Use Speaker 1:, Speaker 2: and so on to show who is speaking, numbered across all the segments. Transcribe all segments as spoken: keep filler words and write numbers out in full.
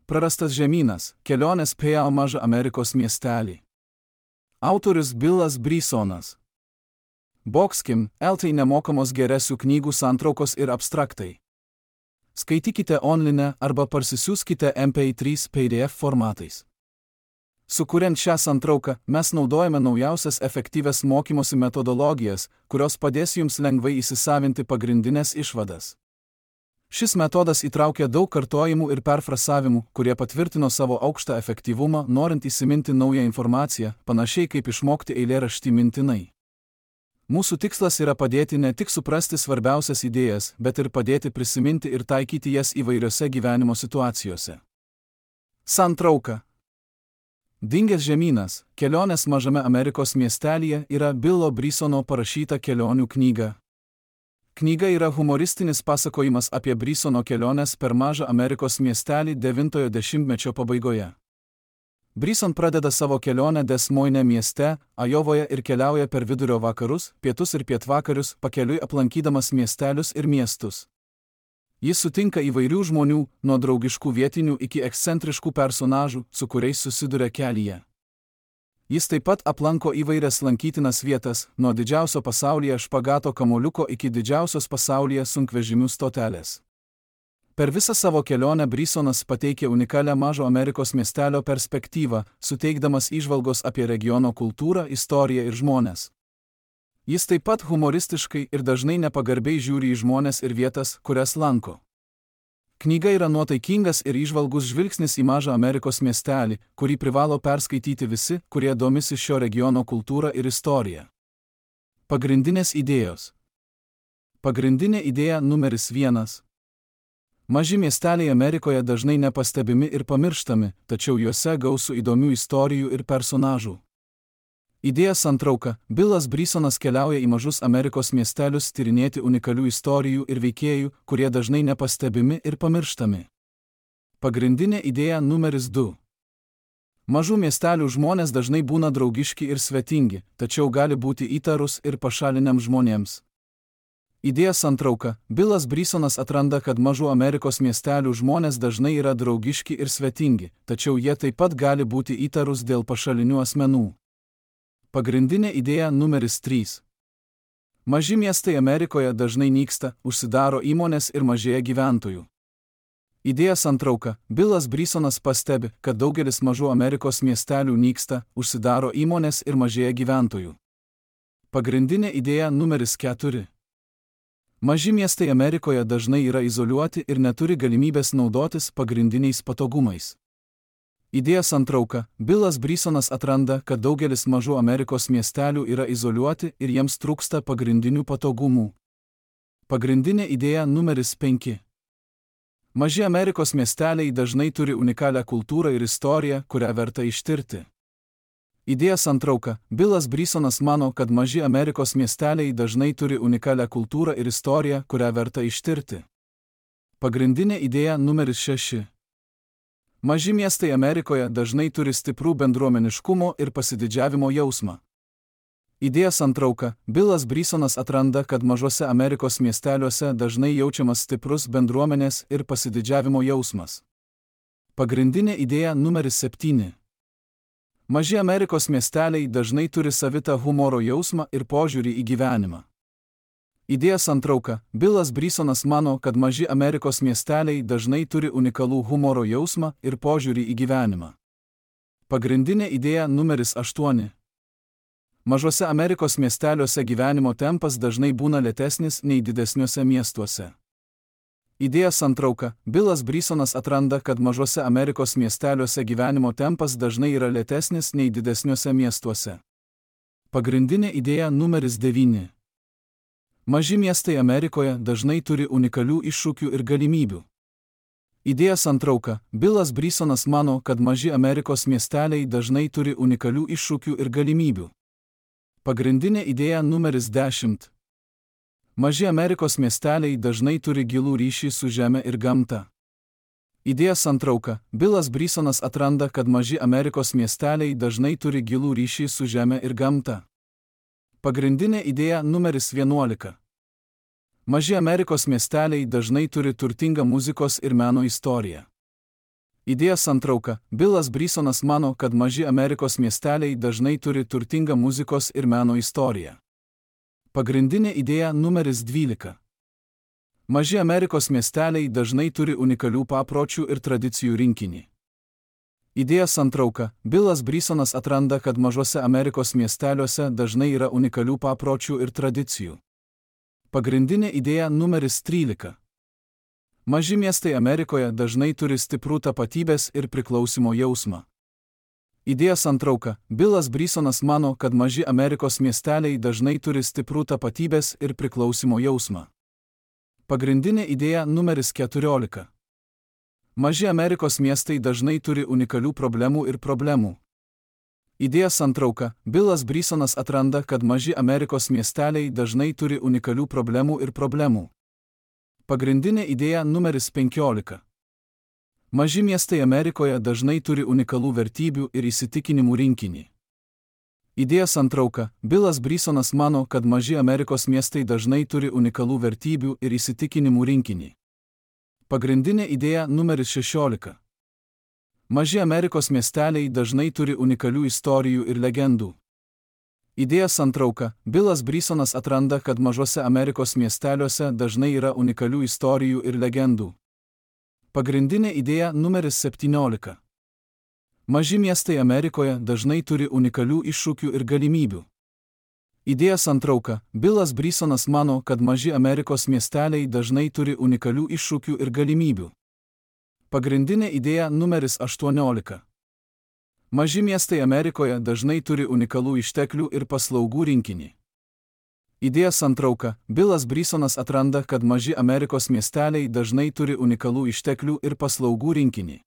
Speaker 1: Prarastas žemynas – kelionės po mažą Amerikos miestelį. Autorius Billas Brysonas. Boxkim, eltai nemokamos geresių knygų santraukos ir abstraktai. Skaitykite online arba parsisiųskite M P trys P D F formatais. Sukuriant šią santrauką, mes naudojame naujausias efektyvias mokymosi metodologijas, kurios padės jums lengvai įsisavinti pagrindinės išvadas. Šis metodas įtraukia daug kartojimų ir perfrasavimų, kurie patvirtino savo aukštą efektyvumą, norint įsiminti naują informaciją, panašiai kaip išmokti eilėraštį mintinai. Mūsų tikslas yra padėti ne tik suprasti svarbiausias idėjas, bet ir padėti prisiminti ir taikyti jas įvairiose gyvenimo situacijose. Santrauka. Dingęs žemynas – kelionės mažame Amerikos miestelyje yra Billo Brysono parašyta kelionių knyga. Knyga yra humoristinis pasakojimas apie Brysono keliones per mažą Amerikos miestelį devintojo dešimtmečio pabaigoje. Bryson pradeda savo kelionę Des Moines mieste, Ajovoje ir keliauja per vidurio vakarus, pietus ir pietvakarius, pakeliui aplankydamas miestelius ir miestus. Jis sutinka įvairių žmonių, nuo draugiškų vietinių iki ekscentriškų personažų, su kuriais susiduria kelyje. Jis taip pat aplanko įvairias lankytinas vietas, nuo didžiausio pasaulyje špagato kamuoliuko iki didžiausios pasaulyje sunkvežimių stotelės. Per visą savo kelionę Brysonas pateikė unikalią mažo Amerikos miestelio perspektyvą, suteikdamas įžvalgos apie regiono kultūrą, istoriją ir žmones. Jis taip pat humoristiškai ir dažnai nepagarbiai žiūri į žmones ir vietas, kurias lanko. Knyga yra nuotaikingas ir įžvalgus žvilgsnis į mažą Amerikos miestelį, kurį privalo perskaityti visi, kurie domisi šio regiono kultūrą ir istoriją. Pagrindinės idėjos. Pagrindinė idėja numeris vienas. Maži miesteliai Amerikoje dažnai nepastebimi ir pamirštami, tačiau juose gausu įdomių istorijų ir personažų. Idėja santrauka. Billas Brysonas keliauja į mažus Amerikos miestelius tyrinėti unikalių istorijų ir veikėjų, kurie dažnai nepastebimi ir pamirštami. Pagrindinė idėja numeris du. Mažų miestelių žmonės dažnai būna draugiški ir svetingi, tačiau gali būti įtarus ir pašaliniams žmonėms. Idėja santrauka. Billas Brysonas atranda, kad mažų Amerikos miestelių žmonės dažnai yra draugiški ir svetingi, tačiau jie taip pat gali būti įtarus dėl pašalinių asmenų. Pagrindinė idėja numeris trys. Maži miestai Amerikoje dažnai nyksta, užsidaro įmonės ir mažėja gyventojų. Idėja santrauka. Billas Brysonas pastebi, kad daugelis mažų Amerikos miestelių nyksta, užsidaro įmonės ir mažėja gyventojų. Pagrindinė idėja numeris keturi. Maži miestai Amerikoje dažnai yra izoliuoti ir neturi galimybės naudotis pagrindiniais patogumais. Idėja santrauka. Billas Brysonas atranda, kad daugelis mažų Amerikos miestelių yra izoliuoti ir jiems trūksta pagrindinių patogumų. Pagrindinė idėja numeris penki. Maži Amerikos miesteliai dažnai turi unikalią kultūrą ir istoriją, kurią verta ištirti. Idėja santrauka. Billas Brysonas mano, kad maži Amerikos miesteliai dažnai turi unikalią kultūrą ir istoriją, kurią verta ištirti. Pagrindinė idėja numeris šeši. Maži miestai Amerikoje dažnai turi stiprų bendruomeniškumo ir pasididžiavimo jausmą. Idėja santrauka. Billas Brysonas atranda, kad mažose Amerikos miesteliuose dažnai jaučiamas stiprus bendruomenės ir pasididžiavimo jausmas. Pagrindinė idėja numeris septyni. Maži Amerikos miesteliai dažnai turi savitą humoro jausmą ir požiūrį į gyvenimą. Idėja santrauka. Billas Brysonas mano, kad maži Amerikos miesteliai dažnai turi unikalų humoro jausmą ir požiūrį į gyvenimą. Pagrindinė idėja numeris aštuoni. Mažose Amerikos miesteliuose gyvenimo tempas dažnai būna lėtesnis nei didesniuose miestuose. Idėja santrauka. Billas Brysonas atranda, kad mažose Amerikos miesteliuose gyvenimo tempas dažnai yra lėtesnis nei didesniuose miestuose. Pagrindinė idėja numeris devyni. Maži miestai Amerikoje dažnai turi unikalių iššūkių ir galimybių. Idėja santrauka. Billas Brysonas mano, kad maži Amerikos miesteliai dažnai turi unikalių iššūkių ir galimybių. Pagrindinė idėja numeris dešimt. Maži Amerikos miesteliai dažnai turi gilų ryšį su žeme ir gamta. Idėja santrauka. Billas Brysonas atranda, kad maži Amerikos miesteliai dažnai turi gilų ryšį su žeme ir gamta. Pagrindinė idėja numeris vienuolika. Maži Amerikos miesteliai dažnai turi turtingą muzikos ir meno istoriją. Idėjos santrauka. Bilas Brisonas mano, kad maži Amerikos miesteliai dažnai turi turtingą muzikos ir meno istoriją. Pagrindinė idėja numeris dvylika. Maži Amerikos miesteliai dažnai turi unikalių papročių ir tradicijų rinkinį. Idėjos santrauka. Bilas Brisonas atranda, kad mažuose Amerikos miesteliuose dažnai yra unikalių papročių ir tradicijų. Pagrindinė idėja numeris trylika. Maži miestai Amerikoje dažnai turi stiprų tapatybės ir priklausimo jausmą. Idėjos santrauka. Bilas Brisonas mano, kad maži Amerikos miesteliai dažnai turi stiprų tapatybės ir priklausimo jausmą. Pagrindinė idėja numeris keturiolika. Maži Amerikos miestai dažnai turi unikalių problemų ir problemų. Idėjos santrauka. Bilas Brisonas atranda, kad maži Amerikos miesteliai dažnai turi unikalių problemų ir problemų. Pagrindinė idėja numeris penkiolika. Maži miestai Amerikoje dažnai turi unikalų vertybių ir įsitikinimų rinkinį. Idėjos santrauka. Bilas Brisonas mano, kad maži Amerikos miestai dažnai turi unikalų vertybių ir įsitikinimų rinkinį. Pagrindinė idėja numeris šešiolika. Maži Amerikos miesteliai dažnai turi unikalių istorijų ir legendų. Idėjos santrauka. Bilas Brisonas atranda, kad mažuose Amerikos miesteliuose dažnai yra unikalių istorijų ir legendų. Pagrindinė idėja numeris septyniolika. Maži miestai Amerikoje dažnai turi unikalių iššūkių ir galimybių. Idėjos santrauka. Bilas Brisonas mano, kad maži Amerikos miesteliai dažnai turi unikalių iššūkių ir galimybių. Pagrindinė idėja numeris aštuoniolika. Maži miestai Amerikoje dažnai turi unikalų išteklių ir paslaugų rinkinį. Idėjos santrauka. Bilas Brisonas atranda, kad maži Amerikos miesteliai dažnai turi unikalų išteklių ir paslaugų rinkinį.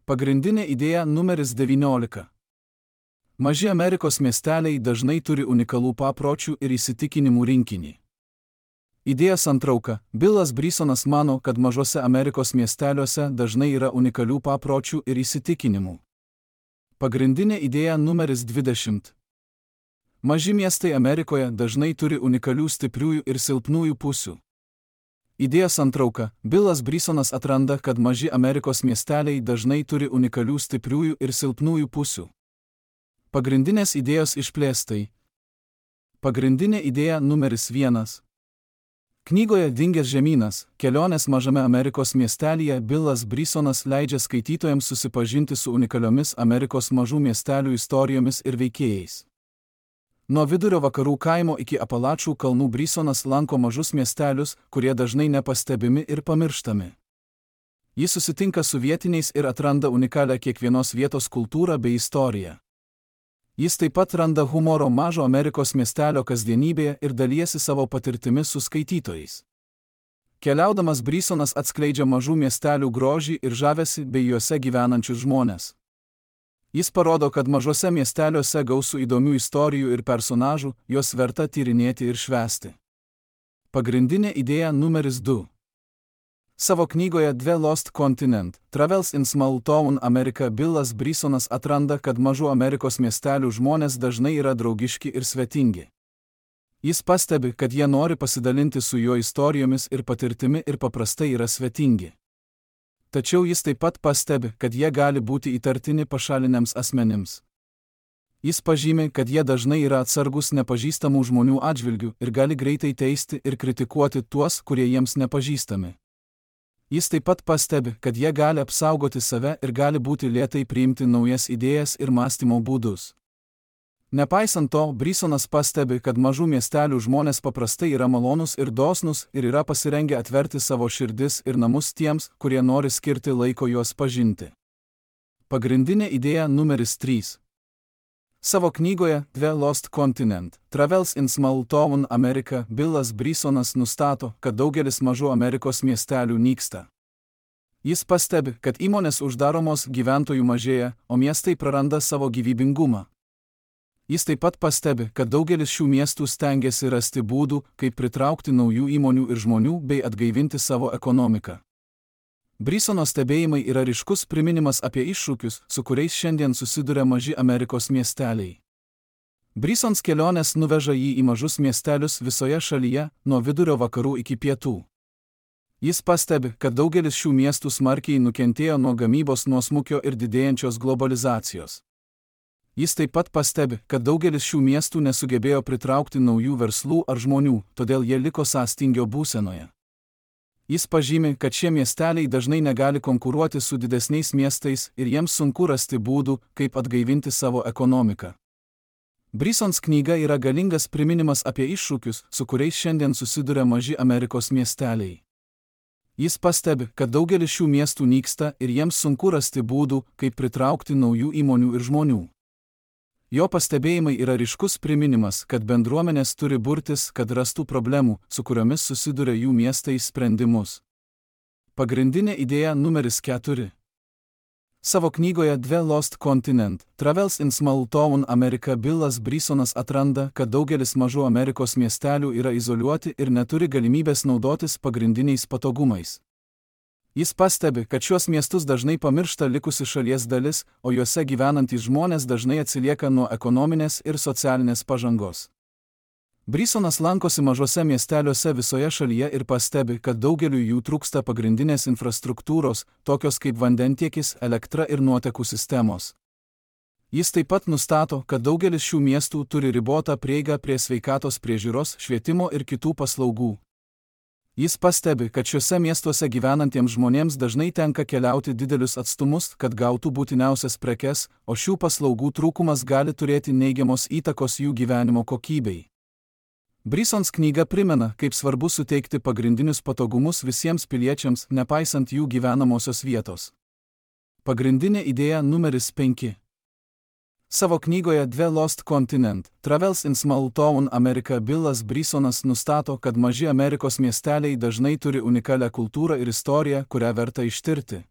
Speaker 1: Pagrindinė idėja numeris devyniolika. Maži Amerikos miesteliai dažnai turi unikalų papročių ir įsitikinimų rinkinį. Idėjos santrauka. Bilas Brisonas mano, kad mažuose Amerikos miesteliuose dažnai yra unikalių papročių ir įsitikinimų. Pagrindinė idėja numeris dvidešimt. Maži miestai Amerikoje dažnai turi unikalių stipriųjų ir silpnųjų pusių. Idėjos santrauka. Bilas Brisonas atranda, kad maži Amerikos miesteliai dažnai turi unikalių stipriųjų ir silpnųjų pusių. Pagrindinės idėjos išplėstai. Pagrindinė idėja numeris vienas. Knygoje Dingęs žemynas – kelionės mažame Amerikos miestelyje Bilas Brisonas leidžia skaitytojams susipažinti su unikaliomis Amerikos mažų miestelių istorijomis ir veikėjais. Nuo vidurio vakarų kaimo iki Apalačų kalnų Brisonas lanko mažus miestelius, kurie dažnai nepastebimi ir pamirštami. Jis susitinka su vietiniais ir atranda unikalią kiekvienos vietos kultūrą bei istoriją. Jis taip pat randa humoro mažo Amerikos miestelio kasdienybėje ir dalijasi savo patirtimi su skaitytojais. Keliaudamas Brisonas atskleidžia mažų miestelių grožį ir žavesį bei juose gyvenančius žmones. Jis parodo, kad mažuose miesteliuose gausu įdomių istorijų ir personažų, juos verta tyrinėti ir švęsti. Pagrindinė idėja numeris du. Savo knygoje The Lost Continent – Travels in Small Town America Bilas Brisonas atranda, kad mažų Amerikos miestelių žmonės dažnai yra draugiški ir svetingi. Jis pastebi, kad jie nori pasidalinti su jo istorijomis ir patirtimi ir paprastai yra svetingi. Tačiau jis taip pat pastebi, kad jie gali būti įtartini pašaliniams asmenims. Jis pažymi, kad jie dažnai yra atsargus nepažįstamų žmonių atžvilgių ir gali greitai teisti ir kritikuoti tuos, kurie jiems nepažįstami. Jis taip pat pastebi, kad jie gali apsaugoti save ir gali būti lėtai priimti naujas idėjas ir mąstymo būdus. Nepaisant to, Brisonas pastebi, kad mažų miestelių žmonės paprastai yra malonūs ir dosnūs ir yra pasirengę atverti savo širdis ir namus tiems, kurie nori skirti laiko juos pažinti. Pagrindinė idėja numeris trys. Savo knygoje The Lost Continent – Travels in Small Town America Bilas Brisonas nustato, kad daugelis mažų Amerikos miestelių nyksta. Jis pastebi, kad įmonės uždaromos, gyventojų mažėja, o miestai praranda savo gyvybingumą. Jis taip pat pastebi, kad daugelis šių miestų stengiasi rasti būdų, kaip pritraukti naujų įmonių ir žmonių bei atgaivinti savo ekonomiką. Brisono stebėjimai yra ryškus priminimas apie iššūkius, su kuriais šiandien susiduria maži Amerikos miesteliai. Brisons kelionės nuveža jį į mažus miestelius visoje šalyje, nuo vidurio vakarų iki pietų. Jis pastebi, kad daugelis šių miestų smarkiai nukentėjo nuo gamybos nuosmukio ir didėjančios globalizacijos. Jis taip pat pastebi, kad daugelis šių miestų nesugebėjo pritraukti naujų verslų ar žmonių, todėl jie liko sąstingio būsenoje. Jis pažymi, kad šie miesteliai dažnai negali konkuruoti su didesniais miestais ir jiems sunku rasti būdų, kaip atgaivinti savo ekonomiką. Brisons knyga yra galingas priminimas apie iššūkius, su kuriais šiandien susiduria maži Amerikos miesteliai. Jis pastebi, kad daugelis šių miestų nyksta ir jiems sunku rasti būdų, kaip pritraukti naujų įmonių ir žmonių. Jo pastebėjimai yra ryškus priminimas, kad bendruomenės turi burtis, kad rastų problemų, su kuriomis susiduria jų miestai, sprendimus. Pagrindinė idėja numeris keturi. Savo knygoje The Lost Continent – Travels in Small Town America Billas Brisonas atranda, kad daugelis mažų Amerikos miestelių yra izoliuoti ir neturi galimybės naudotis pagrindiniais patogumais. Jis pastebi, kad šiuos miestus dažnai pamiršta likusi šalies dalis, o juose gyvenantys žmonės dažnai atsilieka nuo ekonominės ir socialinės pažangos. Brisonas lankosi mažose miesteliuose visoje šalyje ir pastebi, kad daugeliu jų trūksta pagrindinės infrastruktūros, tokios kaip vandentiekis, elektra ir nuotekų sistemos. Jis taip pat nustato, kad daugelis šių miestų turi ribotą prieigą prie sveikatos priežiūros, švietimo ir kitų paslaugų. Jis pastebi, kad šiuose miestuose gyvenantiems žmonėms dažnai tenka keliauti didelius atstumus, kad gautų būtiniausias prekes, o šių paslaugų trūkumas gali turėti neigiamos įtakos jų gyvenimo kokybei. Brisons knyga primena, kaip svarbu suteikti pagrindinius patogumus visiems piliečiams, nepaisant jų gyvenamosios vietos. Pagrindinė idėja numeris penki. Savo knygoje The Lost Continent – Travels in Small Town America Billas Brisonas nustato, kad maži Amerikos miesteliai dažnai turi unikalią kultūrą ir istoriją, kurią verta ištirti.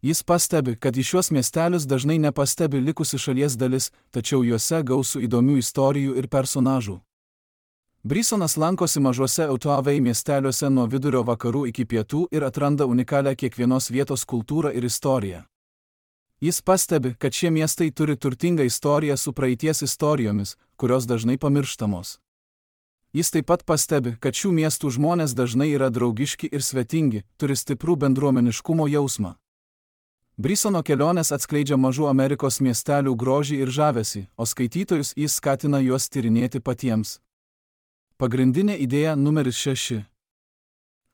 Speaker 1: Jis pastebi, kad į šiuos miestelius dažnai nepastebi likusi šalies dalis, tačiau juose gausu įdomių istorijų ir personažų. Brisonas lankosi mažuose Otavai miesteliuose nuo vidurio vakarų iki pietų ir atranda unikalią kiekvienos vietos kultūrą ir istoriją. Jis pastebi, kad šie miestai turi turtingą istoriją su praeities istorijomis, kurios dažnai pamirštamos. Jis taip pat pastebi, kad šių miestų žmonės dažnai yra draugiški ir svetingi, turi stiprų bendruomeniškumo jausmą. Brisono kelionės atskleidžia mažų Amerikos miestelių grožį ir žavesį, o skaitytojus jis skatina juos tyrinėti patiems. Pagrindinė idėja numeris šeši.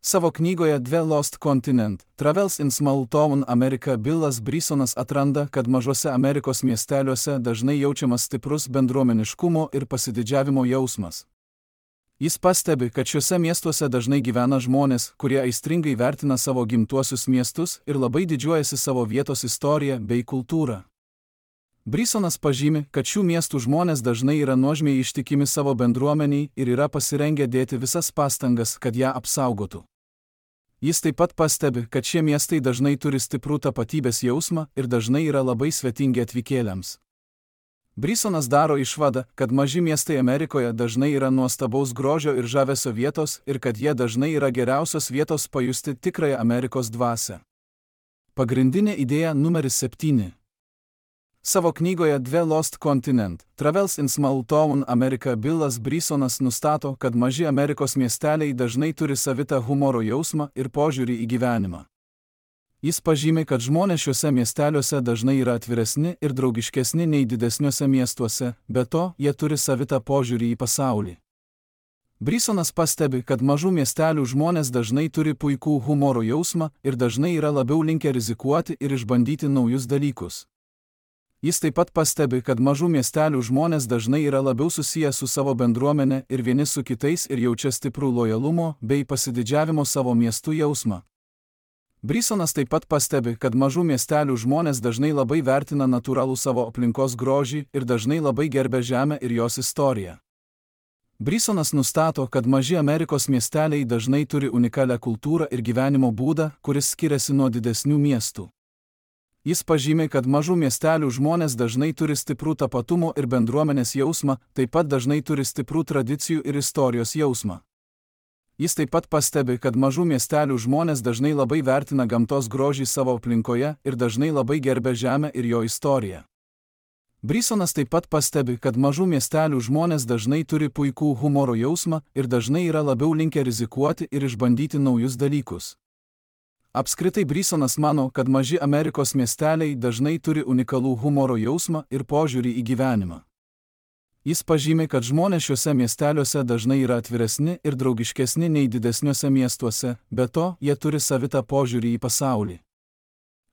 Speaker 1: Savo knygoje The Lost Continent – Travels in Small Town America Billas Brisonas atranda, kad mažuose Amerikos miesteliuose dažnai jaučiamas stiprus bendruomeniškumo ir pasididžiavimo jausmas. Jis pastebi, kad šiuose miestuose dažnai gyvena žmonės, kurie aistringai vertina savo gimtuosius miestus ir labai didžiuojasi savo vietos istoriją bei kultūrą. Brisonas pažymi, kad šių miestų žmonės dažnai yra nuožmiai ištikimi savo bendruomeniai ir yra pasirengę dėti visas pastangas, kad ją apsaugotų. Jis taip pat pastebi, kad šie miestai dažnai turi stiprų tapatybės jausmą ir dažnai yra labai svetingi atvykėliams. Brisonas daro išvadą, kad maži miestai Amerikoje dažnai yra nuostabaus grožio ir žavesio vietos ir kad jie dažnai yra geriausios vietos pajusti tikrąją Amerikos dvasią. Pagrindinė idėja numeris septyni. Savo knygoje The Lost Continent – Travels in Small Town America Billas Brisonas nustato, kad maži Amerikos miesteliai dažnai turi savitą humoro jausmą ir požiūrį į gyvenimą. Jis pažymi, kad žmonės šiuose miesteliuose dažnai yra atviresni ir draugiškesni nei didesniuose miestuose, be to, jie turi savitą požiūrį į pasaulį. Brisonas pastebi, kad mažų miestelių žmonės dažnai turi puikų humoro jausmą ir dažnai yra labiau linkę rizikuoti ir išbandyti naujus dalykus. Jis taip pat pastebi, kad mažų miestelių žmonės dažnai yra labiau susiję su savo bendruomenė ir vieni su kitais ir jaučia stiprų lojalumo bei pasididžiavimo savo miestų jausmą. Brisonas taip pat pastebi, kad mažų miestelių žmonės dažnai labai vertina natūralų savo aplinkos grožį ir dažnai labai gerbia žemę ir jos istoriją. Brisonas nustato, kad maži Amerikos miesteliai dažnai turi unikalią kultūrą ir gyvenimo būdą, kuris skiriasi nuo didesnių miestų. Jis pažymi, kad mažų miestelių žmonės dažnai turi stiprų tapatumo ir bendruomenės jausmą, taip pat dažnai turi stiprų tradicijų ir istorijos jausmą. Jis taip pat pastebi, kad mažų miestelių žmonės dažnai labai vertina gamtos grožį savo aplinkoje ir dažnai labai gerbia žemę ir jo istoriją. Brisonas taip pat pastebi, kad mažų miestelių žmonės dažnai turi puikų humoro jausmą ir dažnai yra labiau linkę rizikuoti ir išbandyti naujus dalykus. Apskritai Brisonas mano, kad maži Amerikos miesteliai dažnai turi unikalų humoro jausmą ir požiūrį į gyvenimą. Jis pažymi, kad žmonės šiuose miesteliuose dažnai yra atviresni ir draugiškesni nei didesniuose miestuose, be to, jie turi savitą požiūrį į pasaulį.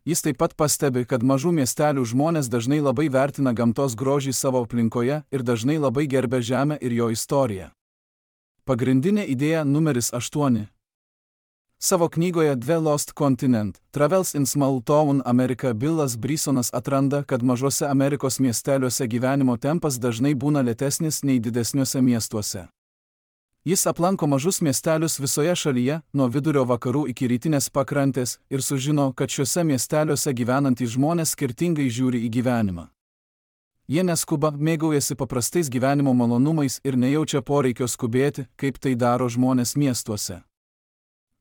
Speaker 1: Jis taip pat pastebi, kad mažų miestelių žmonės dažnai labai vertina gamtos grožį savo aplinkoje ir dažnai labai gerbia žemę ir jo istoriją. Pagrindinė idėja numeris aštuoni. Savo knygoje The Lost Continent – Travels in Small Town America Billas Brisonas atranda, kad mažose Amerikos miesteliuose gyvenimo tempas dažnai būna lėtesnis nei didesniuose miestuose. Jis aplanko mažus miestelius visoje šalyje, nuo vidurio vakarų iki rytinės pakrantės, ir sužino, kad šiuose miesteliuose gyvenantys žmonės skirtingai žiūri į gyvenimą. Jie neskuba, mėgaujasi paprastais gyvenimo malonumais ir nejaučia poreikio skubėti, kaip tai daro žmonės miestuose.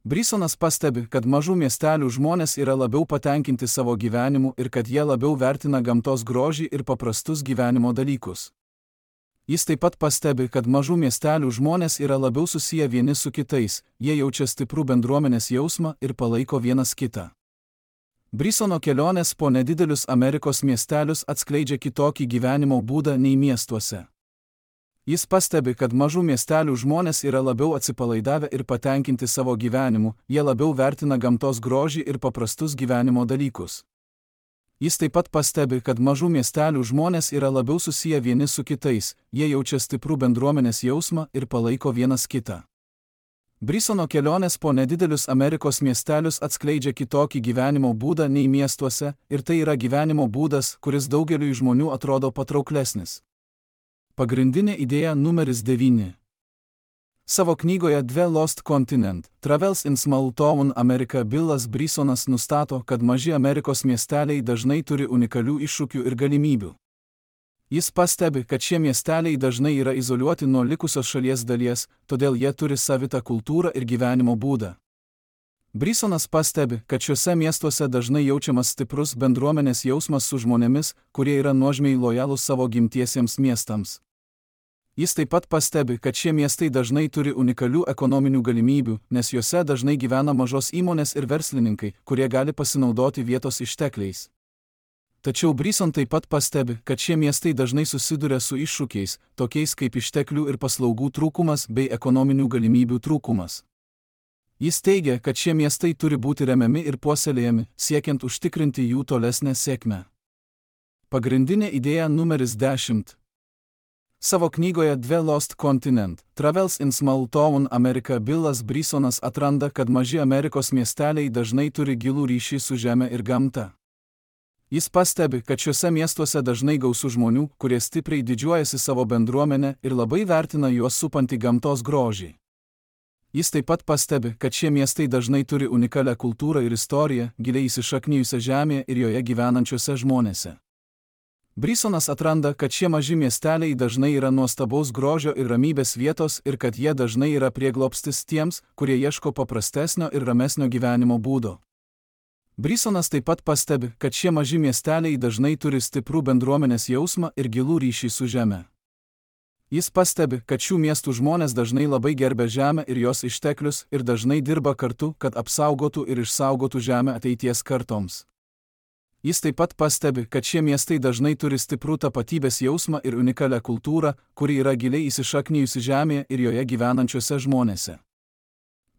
Speaker 1: Brisonas pastebi, kad mažų miestelių žmonės yra labiau patenkinti savo gyvenimu ir kad jie labiau vertina gamtos grožį ir paprastus gyvenimo dalykus. Jis taip pat pastebi, kad mažų miestelių žmonės yra labiau susiję vieni su kitais, jie jaučia stiprų bendruomenės jausmą ir palaiko vienas kitą. Brisono kelionės po nedidelius Amerikos miestelius atskleidžia kitokį gyvenimo būdą nei miestuose. Jis pastebi, kad mažų miestelių žmonės yra labiau atsipalaidavę ir patenkinti savo gyvenimu, jie labiau vertina gamtos grožį ir paprastus gyvenimo dalykus. Jis taip pat pastebi, kad mažų miestelių žmonės yra labiau susiję vieni su kitais, jie jaučia stiprų bendruomenės jausmą ir palaiko vienas kitą. Brisono kelionės po nedidelius Amerikos miestelius atskleidžia kitokį gyvenimo būdą nei miestuose, ir tai yra gyvenimo būdas, kuris daugeliui žmonių atrodo patrauklesnis. Pagrindinė idėja numeris devyni. Savo knygoje The Lost Continent – Travels in Small Town America Billas Brisonas nustato, kad maži Amerikos miesteliai dažnai turi unikalių iššūkių ir galimybių. Jis pastebi, kad šie miesteliai dažnai yra izoliuoti nuo likusios šalies dalies, todėl jie turi savitą kultūrą ir gyvenimo būdą. Brisonas pastebi, kad šiuose miestuose dažnai jaučiamas stiprus bendruomenės jausmas su žmonėmis, kurie yra nuožmiai lojalūs savo gimtiesiems miestams. Jis taip pat pastebi, kad šie miestai dažnai turi unikalių ekonominių galimybių, nes juose dažnai gyvena mažos įmonės ir verslininkai, kurie gali pasinaudoti vietos ištekliais. Tačiau Brison taip pat pastebi, kad šie miestai dažnai susiduria su iššūkiais, tokiais kaip išteklių ir paslaugų trūkumas bei ekonominių galimybių trūkumas. Jis teigia, kad šie miestai turi būti remiami ir puoselėjami, siekiant užtikrinti jų tolesnę sėkmę. Pagrindinė idėja numeris dešimt. Savo knygoje The Lost Continent – Travels in Small Town America Billas Brisonas atranda, kad maži Amerikos miesteliai dažnai turi gilų ryšį su žeme ir gamta. Jis pastebi, kad šiuose miestuose dažnai gausu žmonių, kurie stipriai didžiuojasi savo bendruomenę ir labai vertina juos supantį gamtos grožį. Jis taip pat pastebi, kad šie miestai dažnai turi unikalią kultūrą ir istoriją, giliai įsišaknijusią žemėje ir joje gyvenančiuose žmonėse. Brisonas atranda, kad šie maži miesteliai dažnai yra nuostabaus grožio ir ramybės vietos ir kad jie dažnai yra prieglobstis tiems, kurie ieško paprastesnio ir ramesnio gyvenimo būdo. Brisonas taip pat pastebi, kad šie maži miesteliai dažnai turi stiprų bendruomenės jausmą ir gilų ryšį su žeme. Jis pastebi, kad šių miestų žmonės dažnai labai gerbia žemę ir jos išteklius ir dažnai dirba kartu, kad apsaugotų ir išsaugotų žemę ateities kartoms. Jis taip pat pastebi, kad šie miestai dažnai turi stiprų tapatybės jausmą ir unikalią kultūrą, kuri yra giliai įsišaknijusi žemėje ir joje gyvenančiuose žmonėse.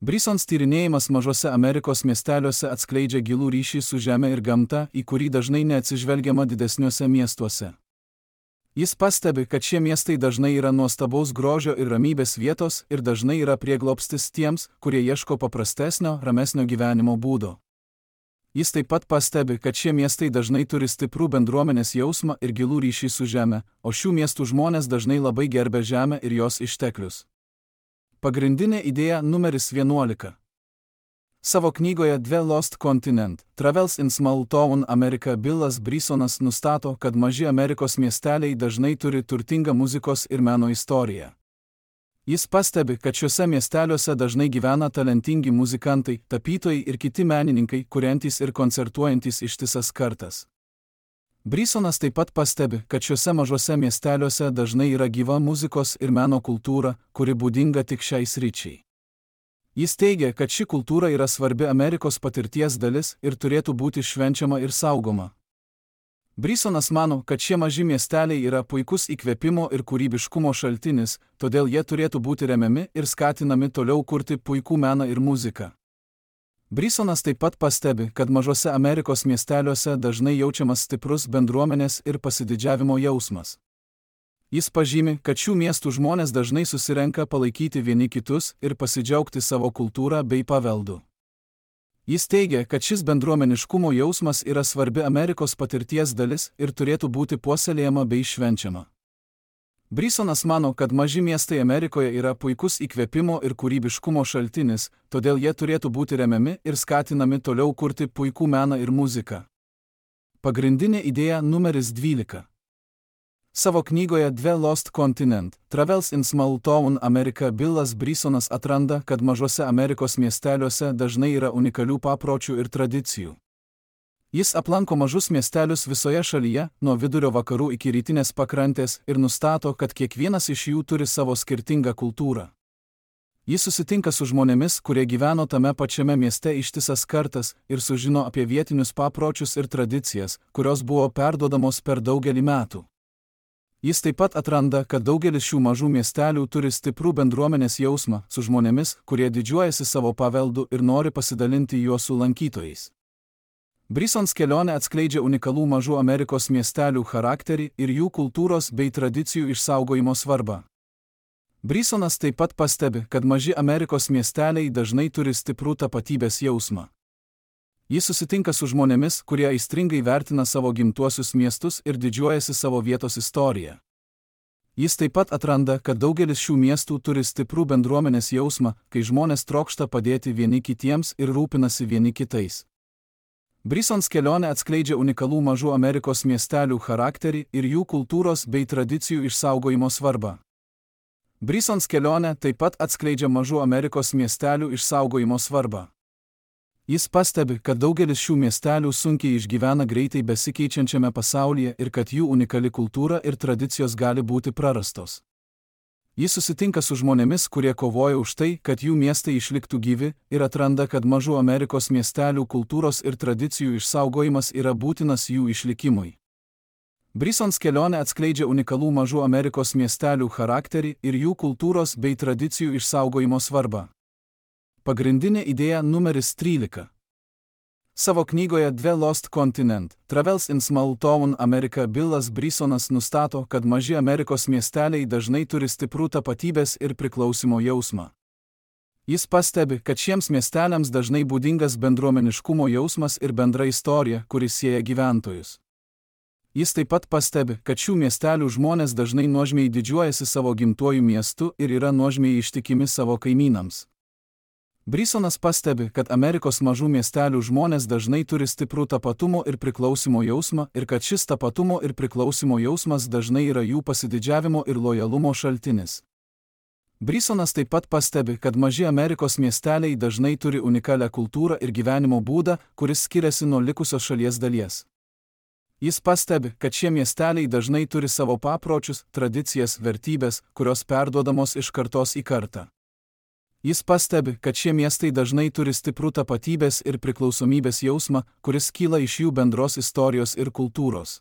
Speaker 1: Brisons tyrinėjimas mažose Amerikos miesteliuose atskleidžia gilų ryšį su žeme ir gamta, į kurį dažnai neatsižvelgiama didesniuose miestuose. Jis pastebi, kad šie miestai dažnai yra nuostabaus grožio ir ramybės vietos ir dažnai yra prieglobstis tiems, kurie ieško paprastesnio, ramesnio gyvenimo būdo. Jis taip pat pastebi, kad šie miestai dažnai turi stiprų bendruomenės jausmą ir gilų ryšį su žeme, o šių miestų žmonės dažnai labai gerbia žemę ir jos išteklius. Pagrindinė idėja numeris vienuolika. Savo knygoje The Lost Continent – Travels in Small Town America Billas Brisonas nustato, kad maži Amerikos miesteliai dažnai turi turtingą muzikos ir meno istoriją. Jis pastebi, kad šiuose miesteliuose dažnai gyvena talentingi muzikantai, tapytojai ir kiti menininkai, kuriantys ir koncertuojantys ištisas kartas. Brisonas taip pat pastebi, kad šiuose mažuose miesteliuose dažnai yra gyva muzikos ir meno kultūra, kuri būdinga tik šiai sričiai. Jis teigia, kad ši kultūra yra svarbi Amerikos patirties dalis ir turėtų būti švenčiama ir saugoma. Brisonas mano, kad šie maži miesteliai yra puikus įkvėpimo ir kūrybiškumo šaltinis, todėl jie turėtų būti remiami ir skatinami toliau kurti puikų meną ir muziką. Brisonas taip pat pastebi, kad mažose Amerikos miesteliuose dažnai jaučiamas stiprus bendruomenės ir pasididžiavimo jausmas. Jis pažymi, kad šių miestų žmonės dažnai susirenka palaikyti vieni kitus ir pasidžiaugti savo kultūrą bei paveldu. Jis teigia, kad šis bendruomeniškumo jausmas yra svarbi Amerikos patirties dalis ir turėtų būti puoselėjama bei švenčiama. Brisonas mano, kad maži miestai Amerikoje yra puikus įkvėpimo ir kūrybiškumo šaltinis, todėl jie turėtų būti remiami ir skatinami toliau kurti puikų meną ir muziką. Pagrindinė idėja numeris dvylika. Savo knygoje The Lost Continent – Travels in Small Town America Billas Brisonas atranda, kad mažose Amerikos miesteliuose dažnai yra unikalių papročių ir tradicijų. Jis aplanko mažus miestelius visoje šalyje, nuo vidurio vakarų iki rytinės pakrantės ir nustato, kad kiekvienas iš jų turi savo skirtingą kultūrą. Jis susitinka su žmonėmis, kurie gyveno tame pačiame mieste ištisas kartas ir sužino apie vietinius papročius ir tradicijas, kurios buvo perduodamos per daugelį metų. Jis taip pat atranda, kad daugelis šių mažų miestelių turi stiprų bendruomenės jausmą su žmonėmis, kurie didžiuojasi savo paveldu ir nori pasidalinti juo su lankytojais. Brisons kelionė atskleidžia unikalų mažų Amerikos miestelių charakterį ir jų kultūros bei tradicijų išsaugojimo svarbą. Brisonas taip pat pastebi, kad maži Amerikos miesteliai dažnai turi stiprų tapatybės jausmą. Jis susitinka su žmonėmis, kurie aistringai vertina savo gimtuosius miestus ir didžiuojasi savo vietos istoriją. Jis taip pat atranda, kad daugelis šių miestų turi stiprų bendruomenės jausmą, kai žmonės trokšta padėti vieni kitiems ir rūpinasi vieni kitais. Brisons kelionė atskleidžia unikalų mažų Amerikos miestelių charakterį ir jų kultūros bei tradicijų išsaugojimo svarbą. Brisons kelionė taip pat atskleidžia mažų Amerikos miestelių išsaugojimo svarbą. Jis pastebi, kad daugelis šių miestelių sunkiai išgyvena greitai besikeičiančiame pasaulyje ir kad jų unikali kultūra ir tradicijos gali būti prarastos. Jis susitinka su žmonėmis, kurie kovoja už tai, kad jų miestai išliktų gyvi, ir atranda, kad mažų Amerikos miestelių kultūros ir tradicijų išsaugojimas yra būtinas jų išlikimui. Brisons kelionė atskleidžia unikalų mažų Amerikos miestelių charakterį ir jų kultūros bei tradicijų išsaugojimo svarbą. Pagrindinė idėja numeris trylika. Savo knygoje The Lost Continent – Travels in Small Town America Billas Brisonas nustato, kad maži Amerikos miesteliai dažnai turi stiprų tapatybės ir priklausimo jausmą. Jis pastebi, kad šiems miesteliams dažnai būdingas bendruomeniškumo jausmas ir bendra istorija, kuris sieja gyventojus. Jis taip pat pastebi, kad šių miestelių žmonės dažnai nuožmiai didžiuojasi savo gimtuoju miestu ir yra nuožmiai ištikimi savo kaimynams. Brisonas pastebi, kad Amerikos mažų miestelių žmonės dažnai turi stiprų tapatumo ir priklausimo jausmą ir kad šis tapatumo ir priklausimo jausmas dažnai yra jų pasididžiavimo ir lojalumo šaltinis. Brisonas taip pat pastebi, kad maži Amerikos miesteliai dažnai turi unikalią kultūrą ir gyvenimo būdą, kuris skiriasi nuo likusios šalies dalies. Jis pastebi, kad šie miesteliai dažnai turi savo papročius, tradicijas, vertybės, kurios perduodamos iš kartos į kartą. Jis pastebi, kad šie miestai dažnai turi stiprų tapatybės ir priklausomybės jausmą, kuris kyla iš jų bendros istorijos ir kultūros.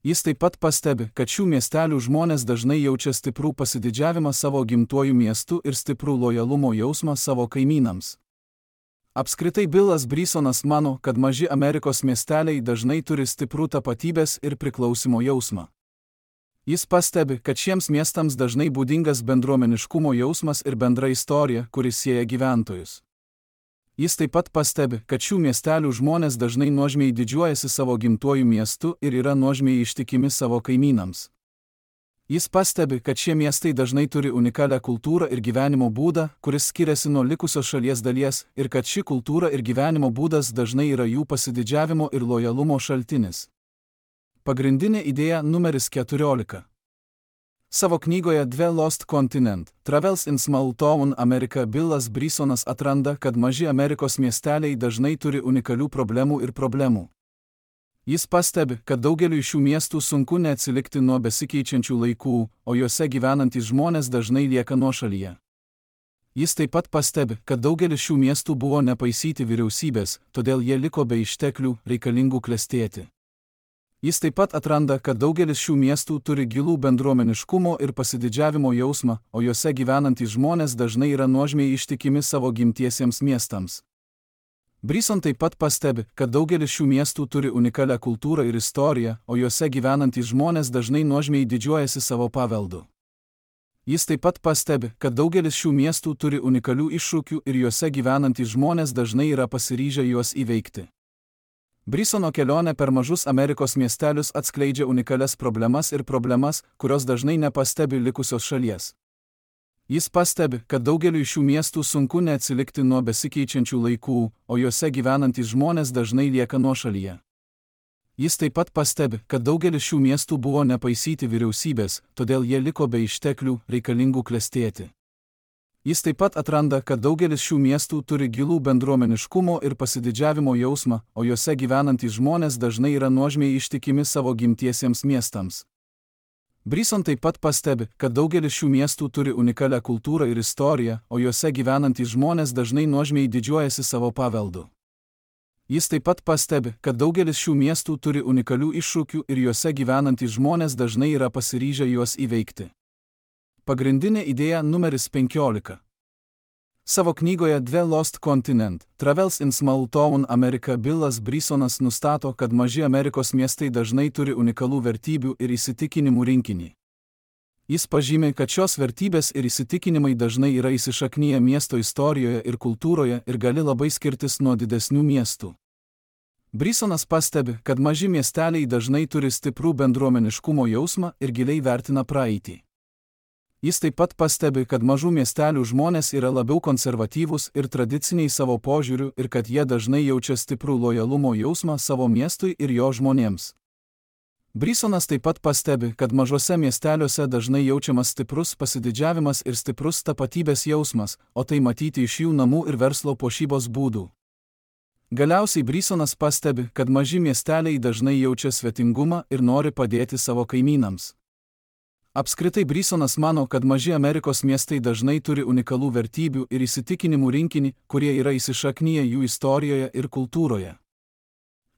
Speaker 1: Jis taip pat pastebi, kad šių miestelių žmonės dažnai jaučia stiprų pasididžiavimą savo gimtuoju miestu ir stiprų lojalumo jausmą savo kaimynams. Apskritai Billas Brisonas mano, kad maži Amerikos miesteliai dažnai turi stiprų tapatybės ir priklausimo jausmą. Jis pastebi, kad šiems miestams dažnai būdingas bendruomeniškumo jausmas ir bendra istorija, kuris sieja gyventojus. Jis taip pat pastebi, kad šių miestelių žmonės dažnai nuožmiai didžiuojasi savo gimtuoju miestu ir yra nuožmiai ištikimi savo kaimynams. Jis pastebi, kad šie miestai dažnai turi unikalią kultūrą ir gyvenimo būdą, kuris skiriasi nuo likusios šalies dalies, ir kad ši kultūra ir gyvenimo būdas dažnai yra jų pasididžiavimo ir lojalumo šaltinis. Pagrindinė idėja numeris keturiolika. Savo knygoje The Lost Continent – Travels in Small Town America Billas Brisonas atranda, kad maži Amerikos miesteliai dažnai turi unikalių problemų ir problemų. Jis pastebi, kad daugeliu šių miestų sunku neatsilikti nuo besikeičiančių laikų, o juose gyvenantys žmonės dažnai lieka nuošalyje. Jis taip pat pastebi, kad daugelis šių miestų buvo nepaisyti vyriausybės, todėl jie liko be išteklių, reikalingų klestėti. Jis taip pat atranda, kad daugelis šių miestų turi gilų bendruomeniškumo ir pasididžiavimo jausmą, o juose gyvenantys žmonės dažnai yra nuožmiai ištikimi savo gimtiesiems miestams. Bryson taip pat pastebi, kad daugelis šių miestų turi unikalią kultūrą ir istoriją, o juose gyvenantys žmonės dažnai nuožmiai didžiuojasi savo paveldu. Jis taip pat pastebi, kad daugelis šių miestų turi unikalių iššūkių ir juose gyvenantys žmonės dažnai yra pasiryžę juos įveikti. Brysono kelionė per mažus Amerikos miestelius atskleidžia unikalias problemas ir problemas, kurios dažnai nepastebi likusios šalies. Jis pastebi, kad daugeliu šių miestų sunku neatsilikti nuo besikeičiančių laikų, o juose gyvenantys žmonės dažnai lieka nuošalyje. Jis taip pat pastebi, kad daugelis šių miestų buvo nepaisyti vyriausybės, todėl jie liko be išteklių, reikalingų klestėti. Jis taip pat atranda, kad daugelis šių miestų turi gilų bendruomeniškumo ir pasididžiavimo jausmą, o juose gyvenantys žmonės dažnai yra nuožmiai ištikimi savo gimtiesiems miestams. Bryson taip pat pastebi, kad daugelis šių miestų turi unikalią kultūrą ir istoriją, o juose gyvenantys žmonės dažnai nuožmiai didžiuojasi savo paveldu. Jis taip pat pastebi, kad daugelis šių miestų turi unikalių iššūkių ir juose gyvenantys žmonės dažnai yra pasiryžę juos įveikti. Pagrindinė idėja numeris penkiolika. Savo knygoje The Lost Continent – Travels in Small Town America Billas Brysonas nustato, kad maži Amerikos miestai dažnai turi unikalų vertybių ir įsitikinimų rinkinį. Jis pažymi, kad šios vertybės ir įsitikinimai dažnai yra įsišaknyję miesto istorijoje ir kultūroje ir gali labai skirtis nuo didesnių miestų. Brysonas pastebi, kad maži miesteliai dažnai turi stiprų bendruomeniškumo jausmą ir giliai vertina praeitį. Jis taip pat pastebi, kad mažų miestelių žmonės yra labiau konservatyvūs ir tradiciniai savo požiūriu ir kad jie dažnai jaučia stiprų lojalumo jausmą savo miestui ir jo žmonėms. Brysonas taip pat pastebi, kad mažose miesteliuose dažnai jaučiamas stiprus pasididžiavimas ir stiprus tapatybės jausmas, o tai matyti iš jų namų ir verslo puošybos būdų. Galiausiai Brysonas pastebi, kad maži miesteliai dažnai jaučia svetingumą ir nori padėti savo kaimynams. Apskritai Brysonas mano, kad maži Amerikos miestai dažnai turi unikalų vertybių ir įsitikinimų rinkinį, kurie yra įsišaknyję jų istorijoje ir kultūroje.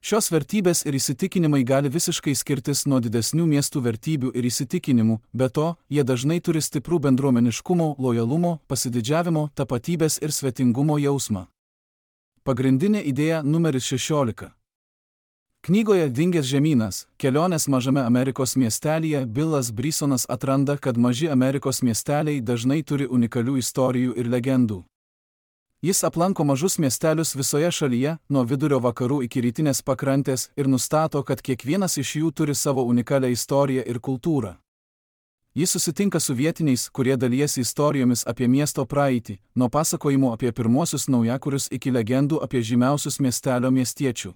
Speaker 1: Šios vertybės ir įsitikinimai gali visiškai skirtis nuo didesnių miestų vertybių ir įsitikinimų, be to, jie dažnai turi stiprų bendruomeniškumo, lojalumo, pasididžiavimo, tapatybės ir svetingumo jausmą. Pagrindinė idėja numeris šešiolika. Knygoje Dingęs žemynas – kelionės mažame Amerikos miestelyje Billas Brysonas atranda, kad maži Amerikos miesteliai dažnai turi unikalių istorijų ir legendų. Jis aplanko mažus miestelius visoje šalyje, nuo vidurio vakarų iki rytinės pakrantės ir nustato, kad kiekvienas iš jų turi savo unikalią istoriją ir kultūrą. Jis susitinka su vietiniais, kurie dalijasi istorijomis apie miesto praeitį, nuo pasakojimų apie pirmuosius naujakurius iki legendų apie žymiausius miestelio miestiečių.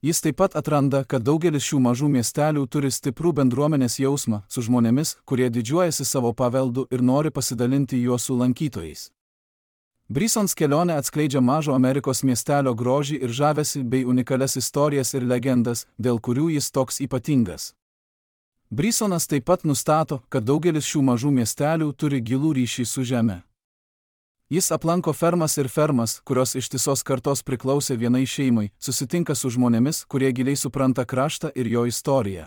Speaker 1: Jis taip pat atranda, kad daugelis šių mažų miestelių turi stiprų bendruomenės jausmą su žmonėmis, kurie didžiuojasi savo paveldu ir nori pasidalinti juo su lankytojais. Brysons kelionė atskleidžia mažo Amerikos miestelio grožį ir žavesį bei unikalias istorijas ir legendas, dėl kurių jis toks ypatingas. Brysonas taip pat nustato, kad daugelis šių mažų miestelių turi gilų ryšį su žeme. Jis aplanko fermas ir fermas, kurios ištisos kartos priklausė vienai šeimai, susitinka su žmonėmis, kurie giliai supranta kraštą ir jo istoriją.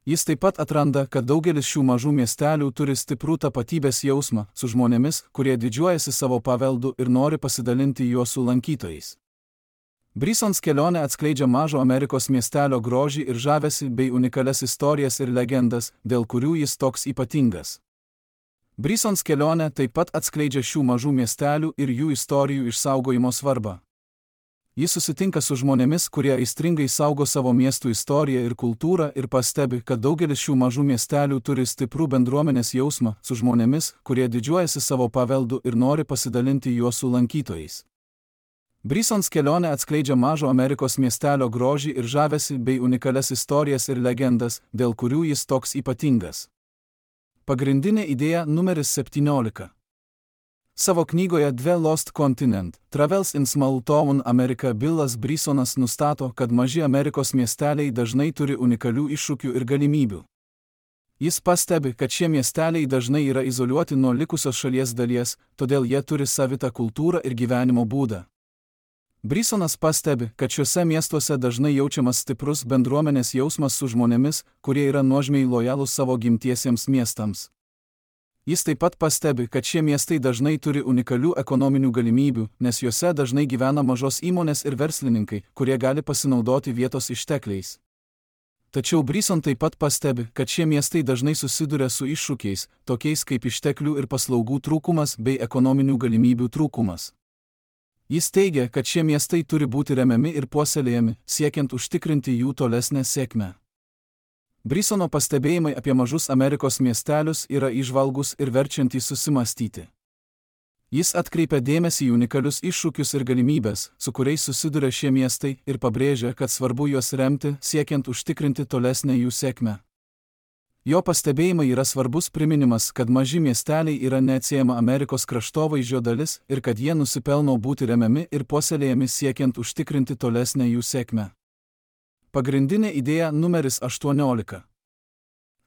Speaker 1: Jis taip pat atranda, kad daugelis šių mažų miestelių turi stiprų tapatybės jausmą su žmonėmis, kurie didžiuojasi savo paveldu ir nori pasidalinti juo su lankytojais. Brysons kelionė atskleidžia mažo Amerikos miestelio grožį ir žavesį bei unikalias istorijas ir legendas, dėl kurių jis toks ypatingas. Brysons kelionė taip pat atskleidžia šių mažų miestelių ir jų istorijų išsaugojimo svarbą. Jis susitinka su žmonėmis, kurie aistringai saugo savo miestų istoriją ir kultūrą ir pastebi, kad daugelis šių mažų miestelių turi stiprų bendruomenės jausmą su žmonėmis, kurie didžiuojasi savo paveldu ir nori pasidalinti juo su lankytojais. Brysons kelionė atskleidžia mažo Amerikos miestelio grožį ir žavesį bei unikalias istorijas ir legendas, dėl kurių jis toks ypatingas. Pagrindinė idėja numeris septyniolika. Savo knygoje The Lost Continent – Travels in Small Town America Billas Brisonas nustato, kad maži Amerikos miesteliai dažnai turi unikalių iššūkių ir galimybių. Jis pastebi, kad šie miesteliai dažnai yra izoliuoti nuo likusios šalies dalies, todėl jie turi savitą kultūrą ir gyvenimo būdą. Brisonas pastebi, kad šiuose miestuose dažnai jaučiamas stiprus bendruomenės jausmas su žmonėmis, kurie yra nuožmiai lojalūs savo gimtiesiems miestams. Jis taip pat pastebi, kad šie miestai dažnai turi unikalių ekonominių galimybių, nes juose dažnai gyvena mažos įmonės ir verslininkai, kurie gali pasinaudoti vietos ištekliais. Tačiau Brison taip pat pastebi, kad šie miestai dažnai susiduria su iššūkiais, tokiais kaip išteklių ir paslaugų trūkumas bei ekonominių galimybių trūkumas. Jis teigia, kad šie miestai turi būti remiami ir puoselėjami, siekiant užtikrinti jų tolesnę sėkmę. Brisono pastebėjimai apie mažus Amerikos miestelius yra įžvalgūs ir verčiantys susimąstyti. Jis atkreipia dėmesį į unikalius iššūkius ir galimybės, su kuriais susiduria šie miestai, ir pabrėžia, kad svarbu juos remti, siekiant užtikrinti tolesnę jų sėkmę. Jo pastebėjimai yra svarbus priminimas, kad maži miesteliai yra neatsiejama Amerikos kraštovaizdžio dalis ir kad jie nusipelno būti remiami ir puoselėjami siekiant užtikrinti tolesnę jų sėkmę. Pagrindinė idėja numeris aštuoniolika.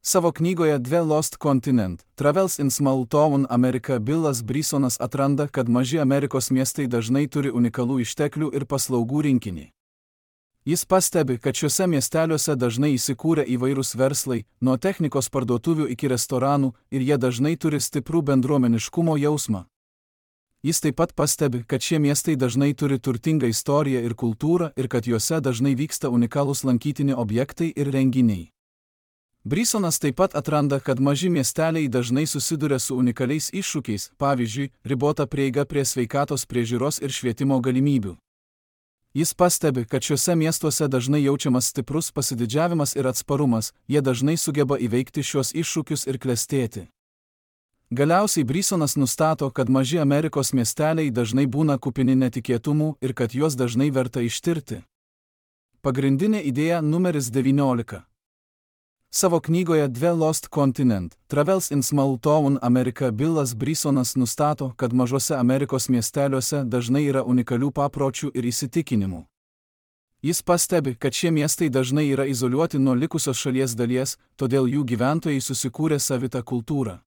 Speaker 1: Savo knygoje The Lost Continent – Travels in Small Town America Billas Brisonas atranda, kad maži Amerikos miestai dažnai turi unikalų išteklių ir paslaugų rinkinį. Jis pastebi, kad šiuose miesteliuose dažnai įsikūrę įvairūs verslai, nuo technikos parduotuvių iki restoranų, ir jie dažnai turi stiprų bendruomeniškumo jausmą. Jis taip pat pastebi, kad šie miestai dažnai turi turtingą istoriją ir kultūrą ir kad juose dažnai vyksta unikalūs lankytini objektai ir renginiai. Brisonas taip pat atranda, kad maži miesteliai dažnai susiduria su unikaliais iššūkiais, pavyzdžiui, ribota prieiga prie sveikatos priežiūros ir švietimo galimybių. Jis pastebi, kad šiuose miestuose dažnai jaučiamas stiprus pasididžiavimas ir atsparumas, jie dažnai sugeba įveikti šios iššūkius ir klestėti. Galiausiai Brisonas nustato, kad maži Amerikos miesteliai dažnai būna kupini netikėtumų ir kad juos dažnai verta ištirti. Pagrindinė idėja numeris devyniolika. Savo knygoje The Lost Continent – Travels in Small Town America Billas Brisonas nustato, kad mažose Amerikos miesteliuose dažnai yra unikalių papročių ir įsitikinimų. Jis pastebi, kad šie miestai dažnai yra izoliuoti nuo likusios šalies dalies, todėl jų gyventojai susikūrė savitą kultūrą.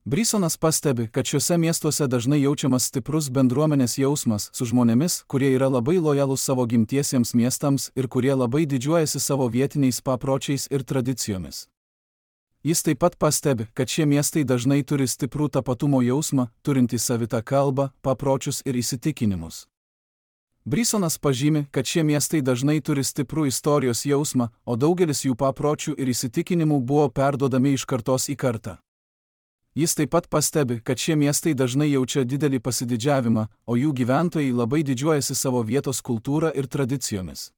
Speaker 1: Brisonas pastebi, kad šiuose miestuose dažnai jaučiamas stiprus bendruomenės jausmas su žmonėmis, kurie yra labai lojalūs savo gimtiesiems miestams ir kurie labai didžiuojasi savo vietiniais papročiais ir tradicijomis. Jis taip pat pastebi, kad šie miestai dažnai turi stiprų tapatumo jausmą, turintį savitą kalbą, papročius ir įsitikinimus. Brisonas pažymi, kad šie miestai dažnai turi stiprų istorijos jausmą, o daugelis jų papročių ir įsitikinimų buvo perduodami iš kartos į kartą. Jis taip pat pastebi, kad šie miestai dažnai jaučia didelį pasididžiavimą, o jų gyventojai labai didžiuojasi savo vietos kultūrą ir tradicijomis.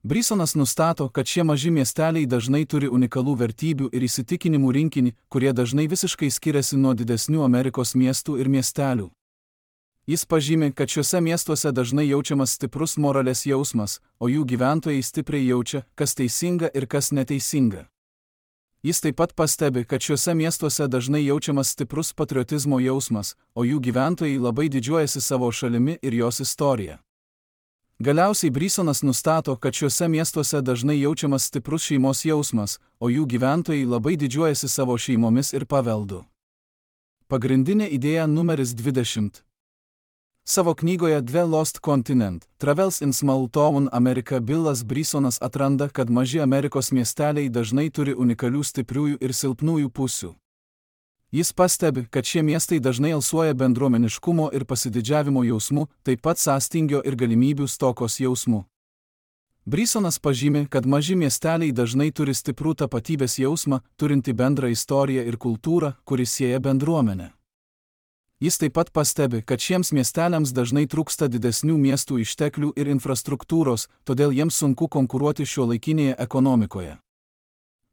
Speaker 1: Brisonas nustato, kad šie maži miesteliai dažnai turi unikalų vertybių ir įsitikinimų rinkinį, kurie dažnai visiškai skiriasi nuo didesnių Amerikos miestų ir miestelių. Jis pažymi, kad šiuose miestuose dažnai jaučiamas stiprus moralės jausmas, o jų gyventojai stipriai jaučia, kas teisinga ir kas neteisinga. Jis taip pat pastebi, kad šiuose miestuose dažnai jaučiamas stiprus patriotizmo jausmas, o jų gyventojai labai didžiuojasi savo šalimi ir jos istorija. Galiausiai Brisonas nustato, kad šiuose miestuose dažnai jaučiamas stiprus šeimos jausmas, o jų gyventojai labai didžiuojasi savo šeimomis ir paveldu. Pagrindinė idėja numeris dvidešimt. Savo knygoje The Lost Continent – Travels in Small Town America Billas Brisonas atranda, kad maži Amerikos miesteliai dažnai turi unikalių stipriųjų ir silpnųjų pusių. Jis pastebi, kad šie miestai dažnai alsuoja bendruomeniškumo ir pasididžiavimo jausmu, taip pat sąstingio ir galimybių stokos jausmu. Brisonas pažymi, kad maži miesteliai dažnai turi stiprų tapatybės jausmą, turinti bendrą istoriją ir kultūrą, kuris sieja bendruomenę. Jis taip pat pastebi, kad šiems miesteliams dažnai trūksta didesnių miestų išteklių ir infrastruktūros, todėl jiems sunku konkuruoti šiuolaikinėje ekonomikoje.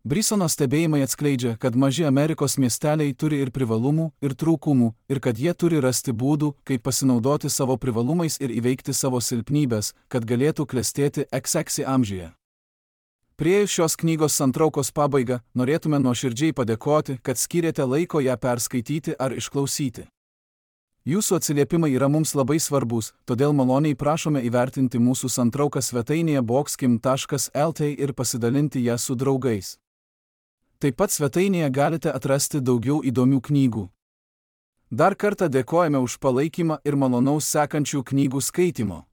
Speaker 1: Brisono stebėjimai atskleidžia, kad maži Amerikos miesteliai turi ir privalumų, ir trūkumų, ir kad jie turi rasti būdų, kaip pasinaudoti savo privalumais ir įveikti savo silpnybes, kad galėtų klestėti iks iks amžiuje. Priėjus šios knygos santraukos pabaigą, norėtume nuoširdžiai padėkoti, kad skyrėte laiko ją perskaityti ar išklausyti. Jūsų atsiliepimai yra mums labai svarbus, todėl maloniai prašome įvertinti mūsų santrauką svetainėje boxkim taškas el t ir pasidalinti ją su draugais. Taip pat svetainėje galite atrasti daugiau įdomių knygų. Dar kartą dėkojame už palaikymą ir malonaus sekančių knygų skaitymo.